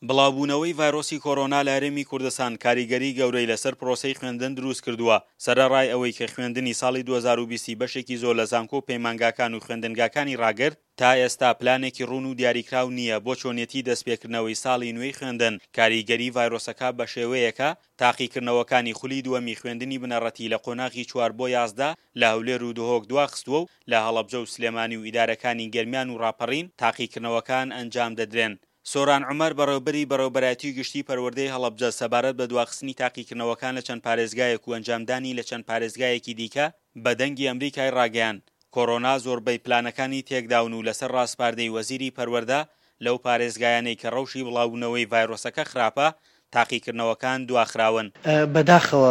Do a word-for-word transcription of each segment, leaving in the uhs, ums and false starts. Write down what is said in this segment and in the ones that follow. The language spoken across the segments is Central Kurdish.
بڵاوبوونەوەی ڤایرۆسی کۆرۆنا لە هەرێمی کوردستان کاریگەری گەورەی لەسەر پرۆسەی خوێندن دروست کردووە. سەرەڕای ئەوەی کە خوێندنی ساڵی دوو هەزار و بیست بەشێکی زۆر لە زانکۆ و پەیمانگاکان و خوێندنگاکانی ڕاگرت، تا ئێستا پلانێکی ڕوون و دیاریکراو نییە بۆ چۆنیەتی دەستپێکردنەوەی ساڵی نوێی خوێندن. کاریگەری ڤایرۆسەکە بە شێوەیەکە تاقیکردنەوەکانی خولی دووەمی خوێندنی بنەڕەتی لە قۆناغی چوار بۆ یازدە لە هەولێر و دهۆک دواخستووە و لە هەڵەبجە و سلێمانی و ئیدارەکانی گەرمیان و ڕاپەڕین تاقیکردنەوەکان ئەنجام دەدرێن. سۆران عومەر، بەڕێوەبەری بەڕێوەبەرایەتی گشتی پەروەردەی هەڵەبجە سەبارەت بە دواخستنی تاقیکردنەوەکان لە چەند پارێزگایەک و ئەنجامدانی لە چەند پارێزگایەکی دیکە بە دەنگی ئەمریکای ڕاگەیاند، کۆرۆنا زۆربەی پلانەکانی تێکداون و لەسەر ڕاسپاردەی وەزیری پەروەردە لەو پارێزگایانەی کە ڕەوشی بڵاوبوونەوەی ڤایرۆسەکە خراپە تاقیکردنەوەکان دواخراون. بەداخەوە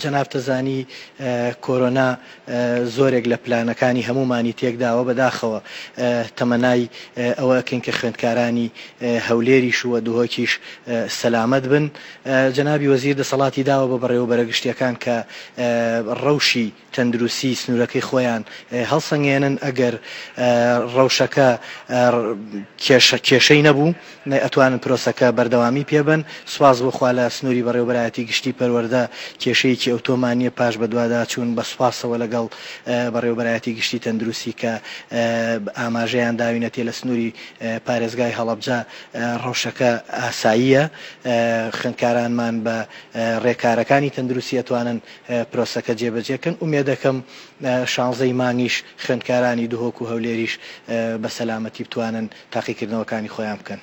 جەنابتە زانی کۆرۆنا زۆرێک لە پلانەکانی هەمومانی تێکداوە. بەداخەوە تەمەنای ئەوە ئەکەین کە خوێندکارانی هەولێریش و دهۆکیش سەلامەت بن. جەنابی وەزیر دەسەڵاتی داوە بە بەڕێوەبەرە گشتیەکان کە ڕەوشی تەندروستی سنوورەکەی خۆیان هەڵسەنگێنن. ئەگەر ڕەوشەکە کێشەی نەبوو ئەتوانن پرۆسەکە بەردەوامی پێبن. سواز بۆ خوا لە سنووری بەڕێوەبەرایەتی گشتی پەروەردە کێشەیەکی ئەوتۆمان نییە. پاش بەدوادا چوون بە سوپاسەوە لەگەڵ بەڕێوەبەرایەتی گشتی تەندروستی کە ئاماژەیان داوینەتێ لە سنووری پارێزگای هەڵەبجە ڕەوشەکە ئاساییە، خوێندکارانمان بە ڕێکارەکانی تەندروستی ئەتوانن پرۆسەکە جێبەجێکەن. ئومێدەکەم شانزەی مانگیش خوێندکارانی دهۆک و هەولێریش بە سەلامەتی بتوانن تاقیکردنەوەکانی خۆیان بکەن.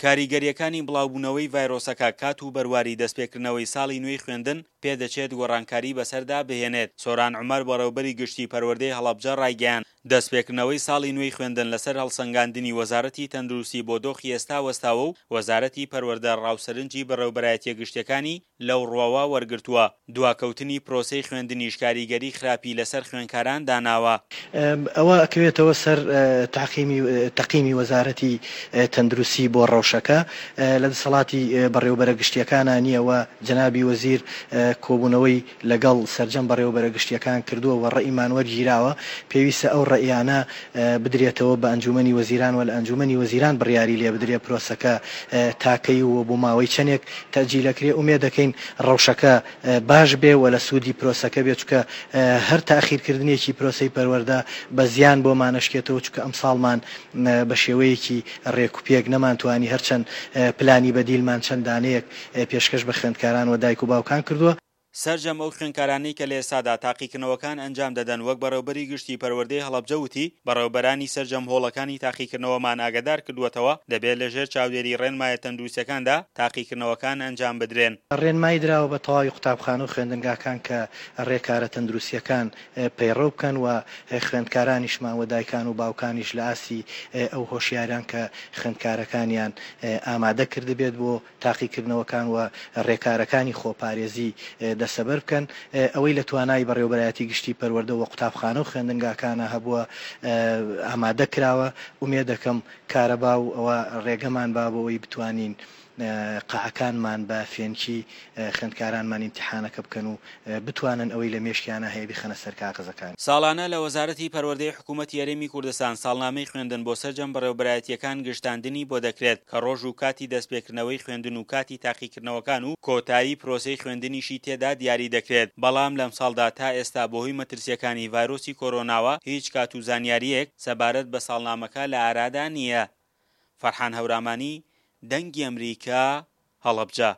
کاریگەریەکانی بڵاوبوونەوەی ڤایرۆسەکە کات و بەرواری دەستپێکردنەوەی ساڵی نوێی خوێندن پێدەچێت گۆڕانکاری بەسەردا بهێنێت. سۆران عومەر، بەڕێوەبەری گشتی پەروەردەی هەڵەبجە ڕایگەیاند، دەستپێکردنەوەی ساڵی نوێی خوێندن لەسەر هەڵسەنگاندنی وەزارەتی تەندروستی بۆ دۆخی ئێستا وەستاوە و وەزارەتی پەروەردە ڕاوسەرنجی بەڕێوەبەرایەتیە گشتیەکانی لەو ڕوەوە وەرگرتووە. دواکەوتنی پرۆسەی خوێندنیش کاریگەری خراپی لەسەر خوێندکاران داناوە. ئەوە ئەکەوێتەوە سەر تاقیمی تەقیمی وەزارەتی تەندروستی بۆ ڕەوشەکە لە دەسەڵاتی بەڕێوەبەرە گشتیەکانە نییە و جەنابی وەزیر کۆبوونەوەی لەگەڵ سەرجەم بەڕێوەبەرە گشتیەکان کردووە و ڕەئیمان وەرگیراوە. پێویستە ئەو ڕەئیانە بدرێتەوە بە ئەنجومەنی وەزیران و لە ئەنجومەنی وەزیران بڕیاری لێ بدرێ پرۆسەکە تاکەی و بۆ ماوەی چەندێک تەجیلەکرێ. ئومێد دەکەین ڕەوشەکە باش بێ و لە سوودی پرۆسەکە بێ، چونکە هەر تاخیرکردنێکی پرۆسەی پەروەردە بە زیان بۆمان ئەشکێتەوە، چونکە ئەمساڵمان بە شێوەیەکی ڕێکوپێک نەمانتوانی هەرچەند پلانی بەدیلمان چەند دانەیەک پێشکەش بە خوێندکاران و دایک و باوکان کردووە. سەرجەم ئەو خوێندکارانەی کە لە ئێستادا تاقیکردنەوەکان ئەنجام دەدەن وەک بەڕێوەبەری گشتی پەروەردەی هەڵەبجە وتی، بەڕێوەبەرانی سەرجەم هۆڵەکانی تاقیکردنەوەمان ئاگادار کردووەتەوە دەبێت لەژێر چاودێری ڕێنمایە تەندروستیەکاندا تاقیکردنەوەکان ئەنجام بدرێن. ڕێنمایی دراوە بە تەواوی قوتابخانە و خوێندنگاکان کە ڕێکارە تەندروستیەکان پەیڕەو بکەن و خوێندکارانیشمان و دایکان و باوکانیش لە ئاستی ئەو هۆشیاران کە خوێندکارەکانیان ئامادە کردبێت بۆ تاقیکردنەوەکان و ڕێکارەکانی خۆپارێزی دەسەبەر بکەن. ئەوەی لە توانای بەڕێوەبەرایەتی گشتی پەروەردە و قوتابخانە و خوێندنگاکانە هەبووە ئامادە کراوە. ئومێد دەکەم کارەبا و ئەوە ڕێگەمان با بۆ ئەوەی بتوانین قاعەکانمان بە فێنکی خوێندکارانمان ئیمتیحانەکە بکەن و بتوانن ئەوەی لە مێشکیانە هەیە بیخەنە سەر کاغەزەکان. ساڵانە لە وەزارەتی پەروەردەی حکوومەتی هەرێمی کوردستان ساڵنامەی خوێندن بۆ سەرجەم بەڕێوەبەرایەتیەکان گشتاندنی بۆ دەکرێت کە ڕۆژ و کاتی دەستپێکردنەوەی خوێندن و کاتی تاقیکردنەوەکان و کۆتایی پرۆسەی خوێندنیشی تێدا دیاری دەکرێت. بەڵام لەم ساڵدا تا ئێستا بەهۆی مەترسیەکانی ڤایرۆسی کۆرۆناوە هیچ کات و زانیاریەک سەبارەت بە ساڵنامەکە لە ئارادا نییە. فەرحان هەورامانی، دەنگی ئەمریکا، هەڵەبجە.